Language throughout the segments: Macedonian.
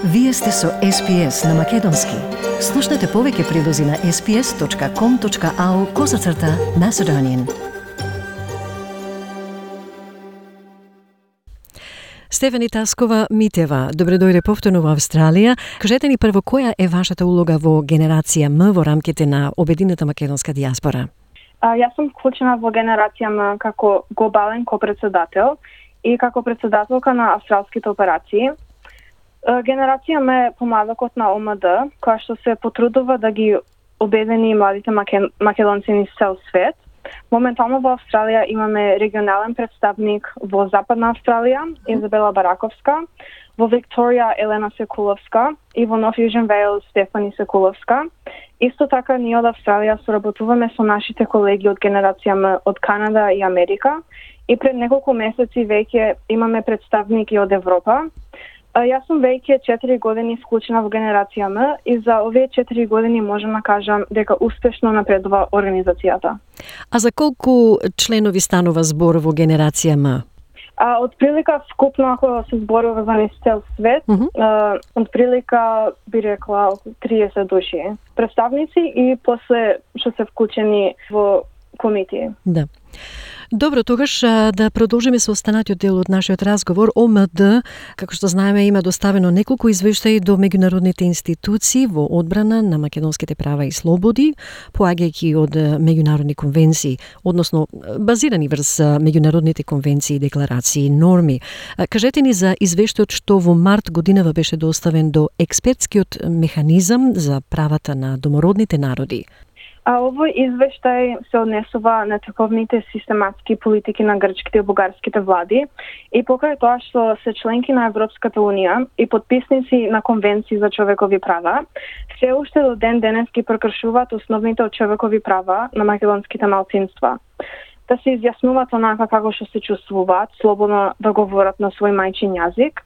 Вие сте со SPS на Македонски. Слушнете повеќе прилози на sps.com.au/Macedonian. Стефани Таскова-Митева, добре дојде повторно во Австралија. Кажете ни прво, која е вашата улога во генерација М во рамките на обединета македонска дијаспора? Јас сум вклучена во генерација М како глобален копредседател и како председателка на австралските операции. Генерација М е помладокот на ОМД, која што се потрудува да ги обедини младите македонци низ цел свет. Моментално во Австралија имаме регионален представник во Западна Австралија, Изабела Бараковска, во Викторија Елена Секуловска и во Нов Јужен Вејлс Стефани Секуловска. Исто така ние од Австралија соработуваме со нашите колеги од генерација М од Канада и Америка и пред неколку месеци веќе имаме представники од Европа. Јас сум веќе 4 години вклучена во генерација М и за овие 4 години можам да кажам дека успешно напредува организацијата. А за колку членови станува збор во генерација М? Од прилика вкупно ако се зборува за низ цел свет, од прилика би рекла 30 души представници и после што се вклучени во комитии. Да. Добро, тогаш да продолжиме со останатиот дел од нашиот разговор. ОМД, како што знаеме, има доставено неколку извештаи до меѓународните институции во одбрана на македонските права и слободи, поаѓајќи од меѓународни конвенции, односно базирани врз меѓународните конвенции, декларации и норми. Кажете ни за извештајот што во март годинава беше доставен до експертскиот механизам за правата на домородните народи. Овој извештај се однесува на таковните систематски политики на грчките и бугарските влади и покрај тоа што се членки на Европската унија и подписници на конвенции за човекови права, се уште до ден денес ги прекршуваат основните од човекови права на македонските малцинства. Да се изјаснуваат онака како што се чувствуваат, слободно да говорат на свој мајчин јазик.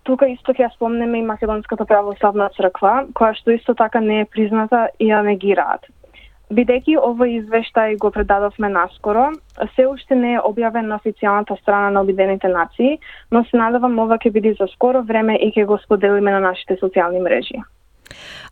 Тука исто ќе спомнеме и Македонската православна црква, која што исто така не е призната и ја негираат. Бидејќи овој извештај го предадовме наскоро, се уште не е објавен на официјалната страна на Обединетите нации, но се надевам ова ќе биде за скоро време и ќе го споделиме на нашите социјални мрежи.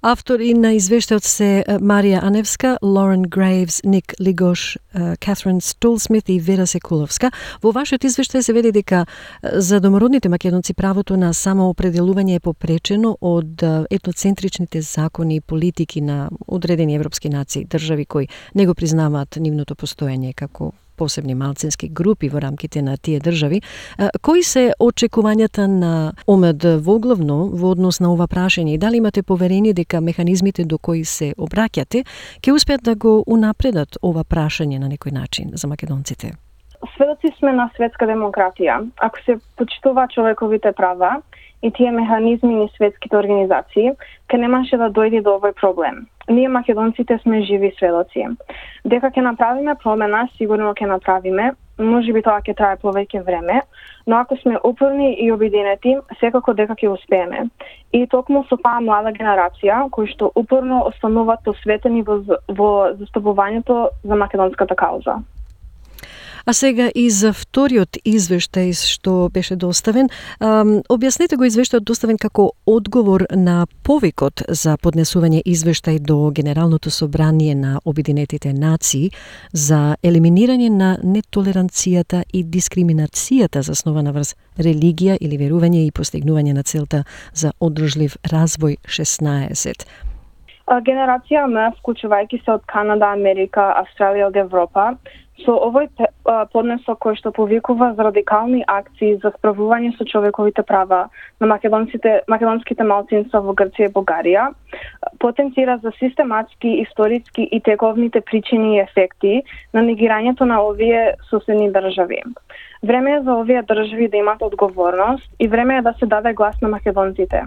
Автори на извештајот се Марија Аневска, Лорен Грейвс, Ник Лигош, Катрин Стулсмит и Вера Секуловска. Во вашиот извештај се веде дека за домородните македонци правото на самоопределување е попречено од етноцентричните закони и политики на одредени европски нации, држави кои не го признаваат нивното постоење како посебни малцински групи во рамките на тие држави. Кои се очекувањата на ОМД воглавно во однос на ова прашање и дали имате поверение дека механизмите до кои се обраќате ќе успеат да го унапредат ова прашање на некој начин за македонците? Сведоци сме на светска демократија. Ако се почитува човековите права и тие механизми ни светските организации, ке немаше да дојде до овој проблем. Ние македонците сме живи сведоци. Дека ќе направиме промена, сигурно ќе направиме, можеби тоа ќе трае повеќе време, но ако сме упорни и обединети, секако дека ќе успееме. И токму со таа млада генерација, кои што упорно остануваат посветени во застапувањето за македонската кауза. А сега и за вториот извештај што беше доставен. Објаснете го извештајот доставен како одговор на повикот за поднесување извештај до Генералното собрание на Обединетите нации за елиминирање на нетолеранцијата и дискриминацијата заснована врз религија или верување и постигнување на целта за одржлив развој 16. Генерација М, вклучувајќи се од Канада, Америка, Австралија од Европа, со овој поднесок кој што повикува за радикални акции за справување со човековите права на македонските малцинства во Грција и Бугарија, потенцира за систематски, историски и тековните причини и ефекти на негирањето на овие соседни држави. Време е за овие држави да имат одговорност и време е да се даде глас на македонците.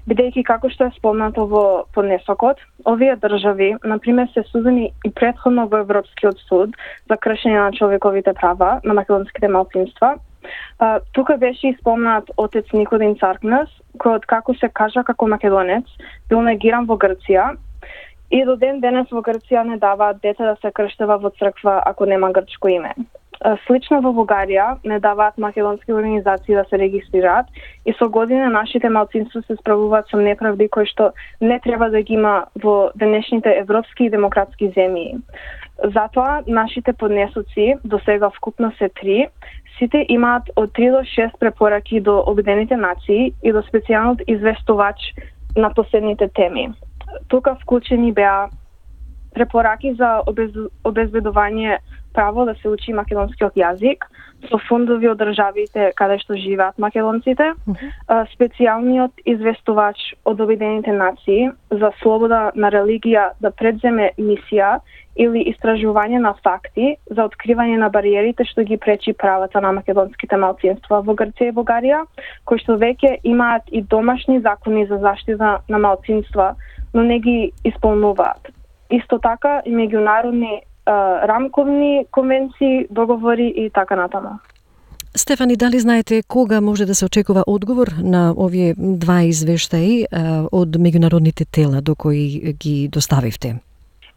Бидејќи како што е спомнато во поднесокот, овие држави, например, се судени и претходно во Европскиот суд за кршење на човековите права на македонските малцинства. Тука беше и спомнат отец Никодим Царкнес, кој откако се кажа како македонец, бил негиран во Грција и до ден денес во Грција не даваат дете да се крштева во црква ако нема грчко име. Слично во Бугарија не даваат македонски организации да се регистрираат и со години нашите малцинства се справуваат со неправди кои што не треба да ги има во денешните европски и демократски земји. Затоа нашите поднесоци до сега вкупно се 3. Сите имаат од 3 до 6 препораки до Обединените нации и до специјалниот известувач на последните теми. Тука вклучени беа препораки за обезбедување право да се учи македонскиот јазик со фондови од државите каде што живеат македонците, специјалниот известувач од Обединените нации за слобода на религија да предземе мисија или истражување на факти за откривање на бариерите што ги пречи правата на македонските малцинства во Грција и Бугарија, кои што веќе имаат и домашни закони за заштита на малцинства, но не ги исполнуваат. Исто така и меѓународни рамковни конвенции, договори и така натаму. Стефани, дали знаете кога може да се очекува одговор на овие два извештаи од меѓународните тела до кои ги доставивте?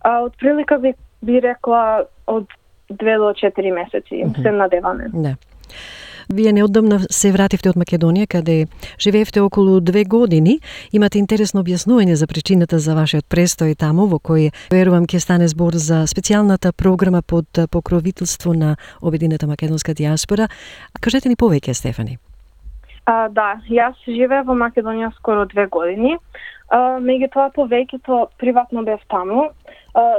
Од прилика би рекла од 2 до 4 месеци, се надеваме. Да. Вие неодамна се вративте од Македонија, каде живеевте околу 2 години. Имате интересно објаснување за причината за вашиот престој таму, во кој верувам ќе стане збор за специјалната програма под покровителство на Обединета македонска диаспора. Кажете ни повеќе, Стефани. Да, јас живеев во Македонија скоро 2 години. Меѓутоа повеќето приватно бев таму.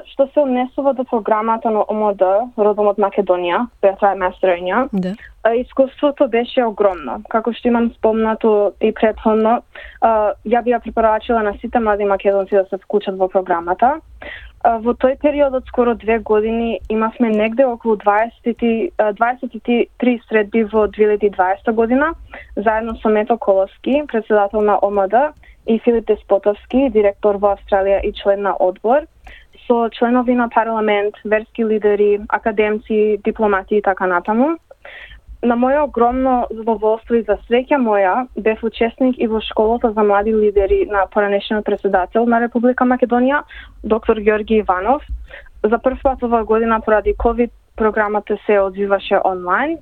Што се однесува до програмата на ОМОД, родом од Македонија, Бетра Местерења, Да. Искуството беше огромно. Како што имам спомнато и претходно, ја би ја препорачила на сите млади македонци да се вклучат во програмата. Во тој период од скоро 2 години имавме негде околу 23 средби во 2020 година, заедно со Мето Коловски, председател на ОМД, и Филип Деспотовски, директор во Австралија и член на одбор, со членови на парламент, верски лидери, академци, дипломати и така натаму. На моје огромно задоволство и за среќа моја, бев учесник и во школата за млади лидери на поранешниот председател на Република Македонија, доктор Ѓорги Иванов. За прв пат оваа година поради COVID програмата се одвиваше онлайн.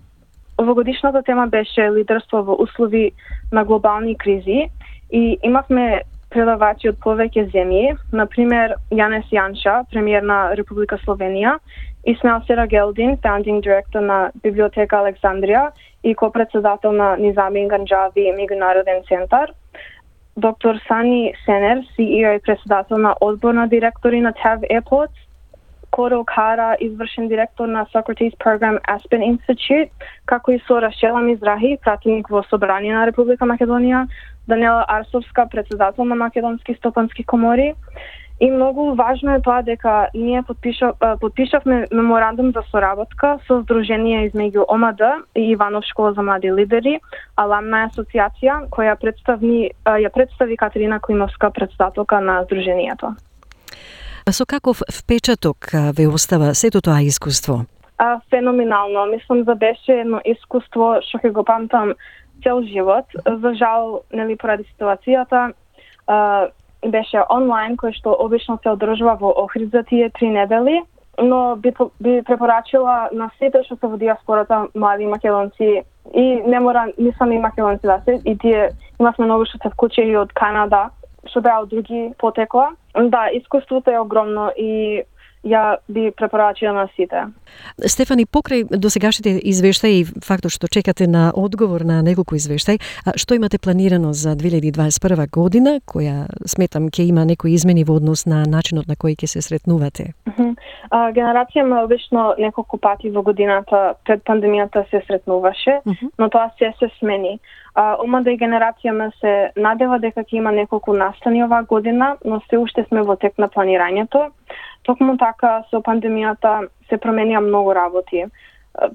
Овогодишната тема беше лидерство во услови на глобални кризи и имавме предавачи од повеќе земји, например Јанес Јанша, премиер на Република Словенија, Исмаил Серагелдин, founding director на Библиотека Александрија и копредседател на Низами Ганџави меѓународен центар, доктор Сани Сенер, CEO и председател на одбор на директори на TAV Airports, Корел Кара, извршен директор на Socrates Program Aspen Institute, како и со Рашела Мизрахи, пратеник во Собрание на Република Македонија, Даниела Арсовска, председател на Македонски стопански комори. И многу важно е тоа дека ние подпишавме меморандум за соработка со Сдружение измеѓу ОМД и Иванов школа за млади лидери, Аламна асоциација, која ја представи Катерина Климовска, председателка на Сдруженијето. Со каков впечаток ве остава сето тоа искуство? Феноменално. Мислам да беше едно искуство што ќе го памтам цел живот. За жал, нели поради ситуацијата, беше онлайн, кој што обично се одржува во Охрид за тие 3 недели, но би препорачила на сите што се во диаспората млади македонци и не мора не само и македонци да се, и тие имавме многу што се вклучили од Канада, што беа од други потекла. Да, искуството е огромно и ја би препорачила на сите. Стефани, покрај досегашните извештаи и фактот што чекате на одговор на неколку извештаи, што имате планирано за 2021 година, која сметам ќе има некои измени во однос на начинот на кој ќе се сретнувате? Генерацијама обично неколку пати во годината пред пандемијата се сретнуваше, но тоа се смени. Омада и генерацијама се надева дека ќе има неколку настани оваа година, но се уште сме во тек на планирањето. Токму така со пандемијата се променија многу работи.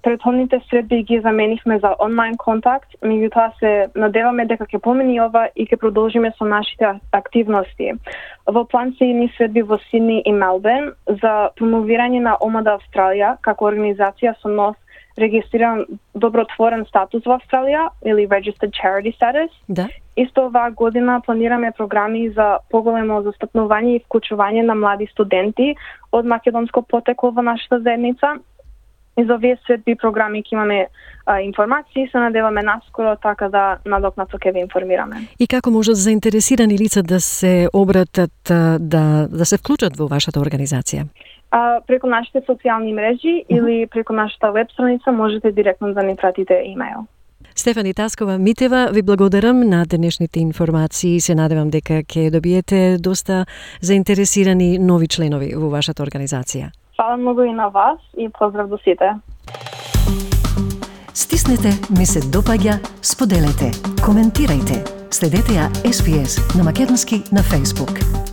Претходните средби ги заменивме за онлайн контакт, меѓутоа се надеваме дека ќе помени ова и ќе продолжиме со нашите активности. Во план се и средби во Сидни и Мелбурн за промовирање на ОМАДА Австралија како организација со нов регистриран добротворен статус во Австралија или Registered Charity Status. Да. Исто оваа година планираме програми за поголемо застапнување и вклучување на млади студенти од македонско потекло во нашата заедница. И за овие светби програми ќе имаме информации, се надеваме наскоро, така да надокнато ќе ве информираме. И како можат заинтересирани лица да се обратат, да се вклучат во вашата организација? Преку нашите социјални мрежи или преку нашата веб страница можете директно да ни пратите имејл. Стефани Таскова-Митева, ви благодарам на денешните информации. Се надевам дека ќе добиете доста заинтересирани нови членови во вашата организација. Фала многу и на вас и поздрав до сите. Стиснете ми се допаѓа, споделете, коментирајте. Следете ја SPS на македонски на Facebook.